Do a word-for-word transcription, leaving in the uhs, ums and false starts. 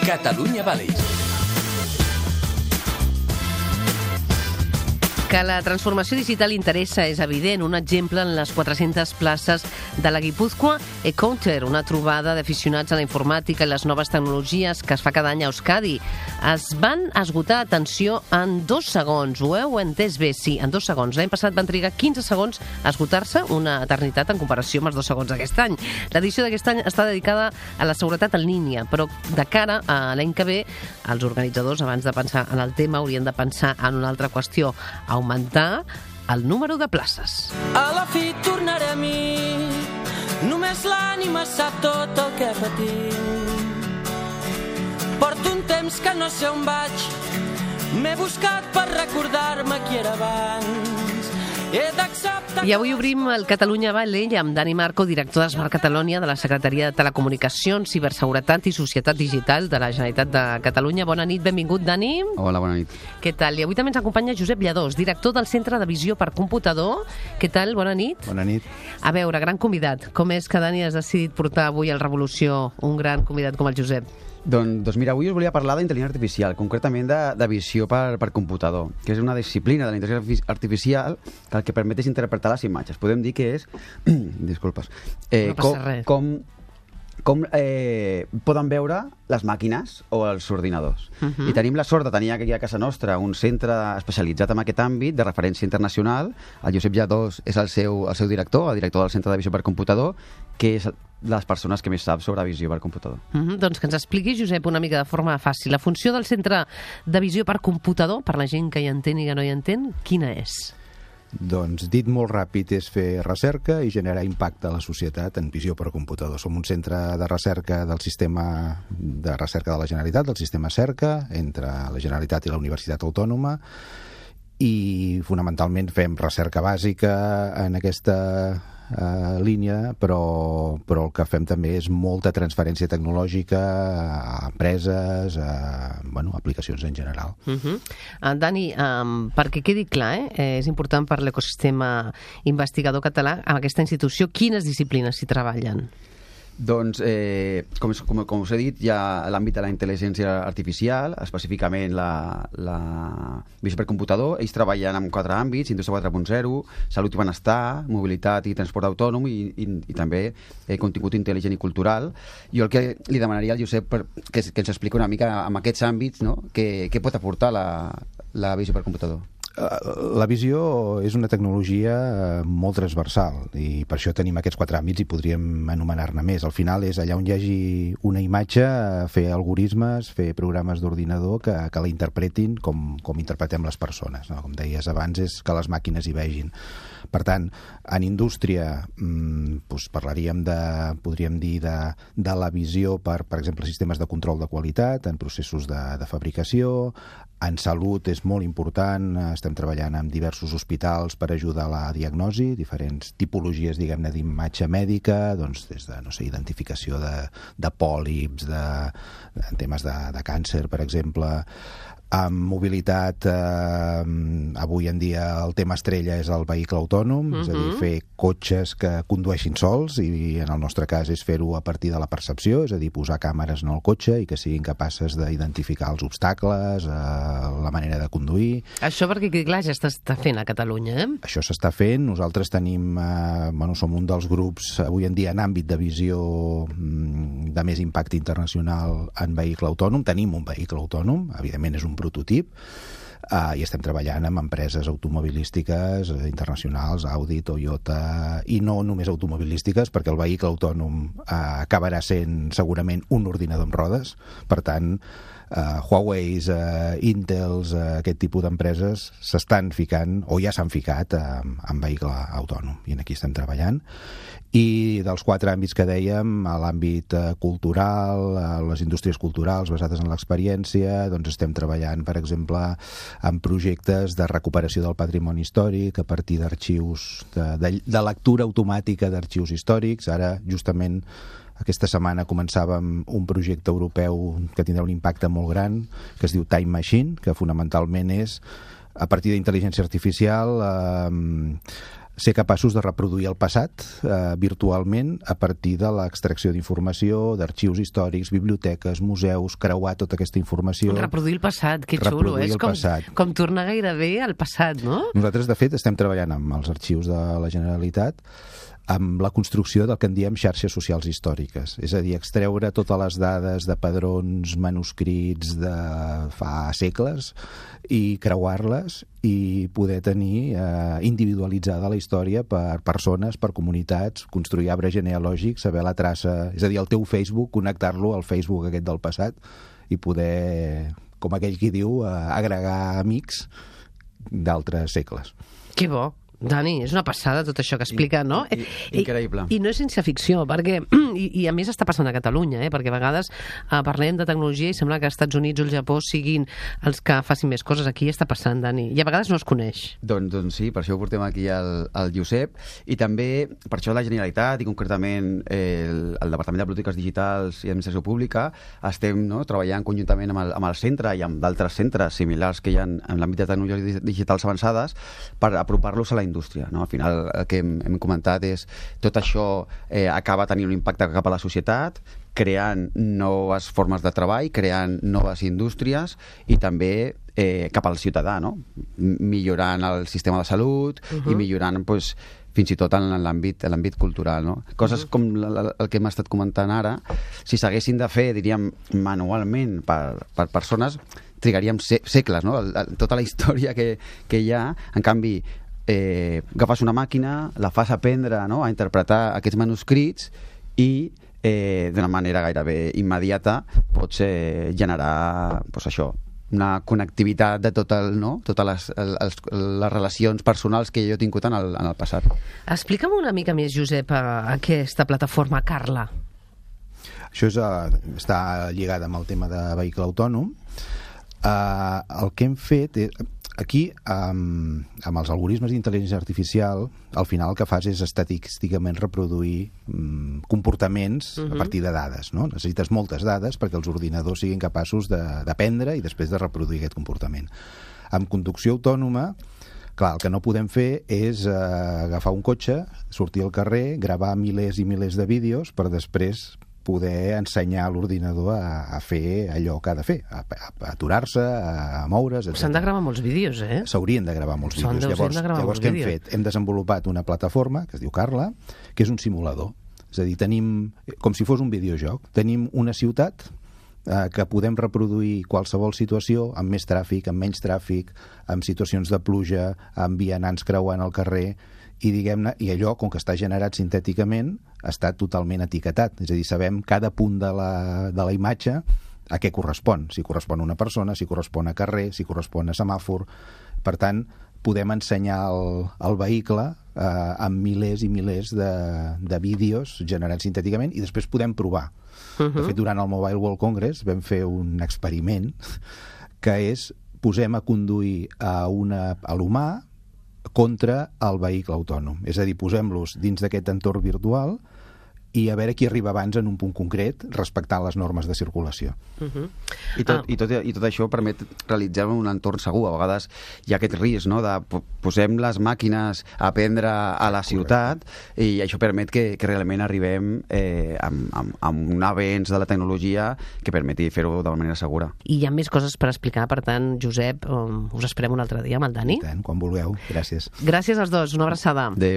Catalunya Valleys. Que la transformació digital interessa és evident. Un exemple en les quatre-centes places de la Guipúzcoa Encounter, una trobada d'aficionats a la informàtica i les noves tecnologies que es fa cada any a Euskadi. Es van esgotar, atenció, en dos segons. Ho heu entès bé? Sí, en dos segons. L'any passat van trigar quinze segons a esgotar-se, una eternitat en comparació amb els dos segons d'aquest any. L'edició d'aquest any està dedicada a la seguretat en línia, però de cara a l'any que ve, els organitzadors, abans de pensar en el tema, haurien de pensar en una altra qüestió: augmentar el número de places. A la fi tornaré a mi, només l'ànima sap tot el que patim. Porto un temps que no sé on vaig, m'he buscat per recordar-me qui era abans. He d'acceptar... I avui obrim el Catalunya Valley amb Dani Marco, director de Smart Catalonia de la Secretaria de Telecomunicacions, Ciberseguretat i Societat Digital de la Generalitat de Catalunya. Bona nit, benvingut, Dani. Hola, bona nit. Què tal? I avui també ens acompanya Josep Lladós, director del Centre de Visió per Computador. Què tal? Bona nit. Bona nit. A veure, gran convidat. Com és que, Dani, has decidit portar avui al Revolució un gran convidat com el Josep? Doncs, doncs mira, avui us volia parlar d'intel·ligència artificial, concretament de, de visió per, per computador, que és una disciplina de la intel·ligència artificial que el que permet és interpretar les imatges. Podem dir que és... Disculpes. Eh, no passa com, res. Com, com eh, poden veure les màquines o els ordinadors. Uh -huh. I tenim la sort de tenir aquí a casa nostra un centre especialitzat en aquest àmbit, de referència internacional. El Josep Lladós és el seu, el seu director, el director del Centre de Visió per Computador, que és les persones que més sap sobre visió per computador. Uh -huh. Doncs que ens expliqui, Josep, una mica de forma fàcil. La funció del Centre de Visió per Computador, per la gent que hi entén i que no hi entén, quina és? Doncs, dit molt ràpid, és fer recerca i generar impacte a la societat en visió per computador. Som un centre de recerca del sistema de recerca de la Generalitat, del sistema CERCA, entre la Generalitat i la Universitat Autònoma, i fonamentalment fem recerca bàsica en aquesta uh, línia, però, però el que fem també és molta transferència tecnològica a empreses, a bueno, aplicacions en general. Uh -huh. uh, Dani, um, perquè quedi clar, eh, és important per l'ecosistema investigador català, amb aquesta institució, quines disciplines s'hi treballen? Doncs, eh, com, com, com us he dit, hi ha l'àmbit de la intel·ligència artificial, específicament la, la visió per computador. Ells treballen en quatre àmbits: indústria quatre punt zero, salut i benestar, mobilitat i transport autònom i, i, i també eh, contingut intel·ligent i cultural. Jo el que li demanaria al Josep per, que, que ens expliqui una mica en aquests àmbits, no? Què, què pot aportar la, la visió per computador. La visió és una tecnologia molt transversal i per això tenim aquests quatre àmbits i podríem anomenar-ne més. Al final és allà on hi hagi una imatge, fer algoritmes, fer programes d'ordinador que, que la interpretin com, com interpretem les persones, no? Com deies abans, és que les màquines hi vegin. Per tant, en indústria mmm, doncs parlaríem de, podríem dir, de, de la visió per, per exemple, sistemes de control de qualitat, en processos de, de fabricació. En salut és molt important, estem treballant amb diversos hospitals per ajudar a la diagnosi, diferents tipologies, diguem-ne, d'imatge mèdica, doncs des de, no sé, identificació de, de pòlips, de, de temes de, de càncer, per exemple. Amb mobilitat, eh, avui en dia el tema estrella és el vehicle autònom, uh-huh. és a dir, fer cotxes que condueixin sols, i en el nostre cas és fer-ho a partir de la percepció, és a dir, posar càmeres en el cotxe i que siguin capaces d'identificar els obstacles, eh, la manera de conduir. Això perquè, clar, ja s'està fent a Catalunya, eh? Això s'està fent. Nosaltres tenim, eh, bueno, som un dels grups avui en dia en àmbit de visió de més impacte internacional en vehicle autònom. Tenim un vehicle autònom, evidentment és un prototip, uh, i estem treballant amb empreses automobilístiques uh, internacionals, Audi, Toyota, i no només automobilístiques, perquè el vehicle autònom uh, acabarà sent segurament un ordinador amb rodes. Per tant, uh, Huawei, uh, Intels, uh, aquest tipus d'empreses s'estan ficant, o ja s'han ficat, uh, en vehicle autònom, i en aquí estem treballant. I dels quatre àmbits que dèiem, a l'àmbit eh, cultural, a les indústries culturals basades en l'experiència, doncs estem treballant, per exemple, en projectes de recuperació del patrimoni històric a partir d'arxius, de, de, de lectura automàtica d'arxius històrics. Ara, justament, aquesta setmana començàvem un projecte europeu que tindrà un impacte molt gran, que es diu Time Machine, que fonamentalment és, a partir d'intel·ligència artificial, eh, ser capaços de reproduir el passat eh, virtualment a partir de l'extracció d'informació, d'arxius històrics, biblioteques, museus, creuar tota aquesta informació. Reproduir el passat, que xulo. Reproduir És el com, passat. com tornar gairebé al passat, no? Nosaltres, de fet, estem treballant amb els arxius de la Generalitat amb la construcció del que en diem xarxes socials històriques. És a dir, extreure totes les dades de padrons manuscrits de fa segles i creuar-les i poder tenir eh, individualitzada la història per persones, per comunitats, construir arbre genealògic, saber la traça, és a dir, el teu Facebook, connectar-lo al Facebook aquest del passat i poder, com aquell qui diu, eh, agregar amics d'altres segles. Que bo. Dani, és una passada tot això que explica, no? I, i, increïble. I, I no és ciència ficció, perquè, i, i a més està passant a Catalunya, eh? Perquè a vegades eh, parlem de tecnologia i sembla que els Estats Units o el Japó siguin els que facin més coses. Aquí està passant, Dani, i a vegades no es coneix. Doncs, doncs sí, per això ho portem aquí al, al Josep, i també per això la Generalitat i concretament eh, el, el Departament de Polítiques Digitals i Administració Pública estem no, treballant conjuntament amb el, amb el centre i amb d'altres centres similars que hi ha en, en l'àmbit de tecnologies digitals avançades per apropar-los a la indústria. No? Al final el que hem, hem comentat és tot això eh, acaba tenint un impacte cap a la societat, creant noves formes de treball, creant noves indústries i també eh, cap al ciutadà, no? Millorant el sistema de salut uh-huh. i millorant pues, fins i tot en l'àmbit en l'àmbit cultural. No? Coses uh-huh. com la, la, el que hem estat comentant ara, si s'haguessin de fer, diríem, manualment per, per persones, trigaríem se segles, no? El, el, tota la història que, que hi ha. En canvi, Eh, agafes una màquina, la fas aprendre no? a interpretar aquests manuscrits i eh, d'una manera gairebé immediata pots eh, generar pues, això, una connectivitat de tot el, no? totes les, els, les relacions personals que jo he tingut en el, en el passat. Explica'm una mica més, Josep, a aquesta plataforma Carla. Això és, uh, està lligat amb el tema de vehicle autònom. Uh, el que hem fet és... Aquí, um, amb els algoritmes d'intel·ligència artificial, al final el que fas és estadísticament reproduir um, comportaments uh-huh. a partir de dades. No? Necessites moltes dades perquè els ordinadors siguin capaços d'aprendre i després de reproduir aquest comportament. Amb conducció autònoma, clar, el que no podem fer és uh, agafar un cotxe, sortir al carrer, gravar milers i milers de vídeos per després poder ensenyar a l'ordinador a, a fer allò que ha de fer, a, a, a aturar-se, a, a moure's, etcètera. S'han de gravar molts vídeos, eh? S'haurien de gravar molts vídeos. Llavors, llavors què hem fet? Hem desenvolupat una plataforma, que es diu Carla, que és un simulador. És a dir, tenim, com si fos un videojoc, tenim una ciutat eh, que podem reproduir qualsevol situació, amb més tràfic, amb menys tràfic, amb situacions de pluja, amb vianants creuant el carrer, i diguem-ne, i allò, com que està generat sintèticament, està totalment etiquetat, és a dir, sabem cada punt de la, de la imatge a què correspon, si correspon a una persona, si correspon a carrer, si correspon a semàfor. Per tant, podem ensenyar el, el vehicle eh, amb milers i milers de, de vídeos generats sintèticament i després podem provar. Uh-huh. De fet, durant el Mobile World Congress vam fer un experiment que és posem a conduir a, una, a l'humà contra el vehicle autònom. És a dir, posem-los dins d'aquest entorn virtual i a veure qui arriba abans en un punt concret respectant les normes de circulació. Uh-huh. I, tot, ah. i, tot, I tot això permet realitzar un entorn segur. A vegades hi ha aquest risc, no?, de posem les màquines a aprendre a la ciutat. Correcte. I això permet que, que realment arribem eh, amb, amb, amb un avenç de la tecnologia que permeti fer-ho de manera segura. I hi ha més coses per explicar, per tant, Josep, um, us esperem un altre dia amb el Dani. I tant, quan vulgueu. Gràcies. Gràcies als dos, una abraçada. Adéu.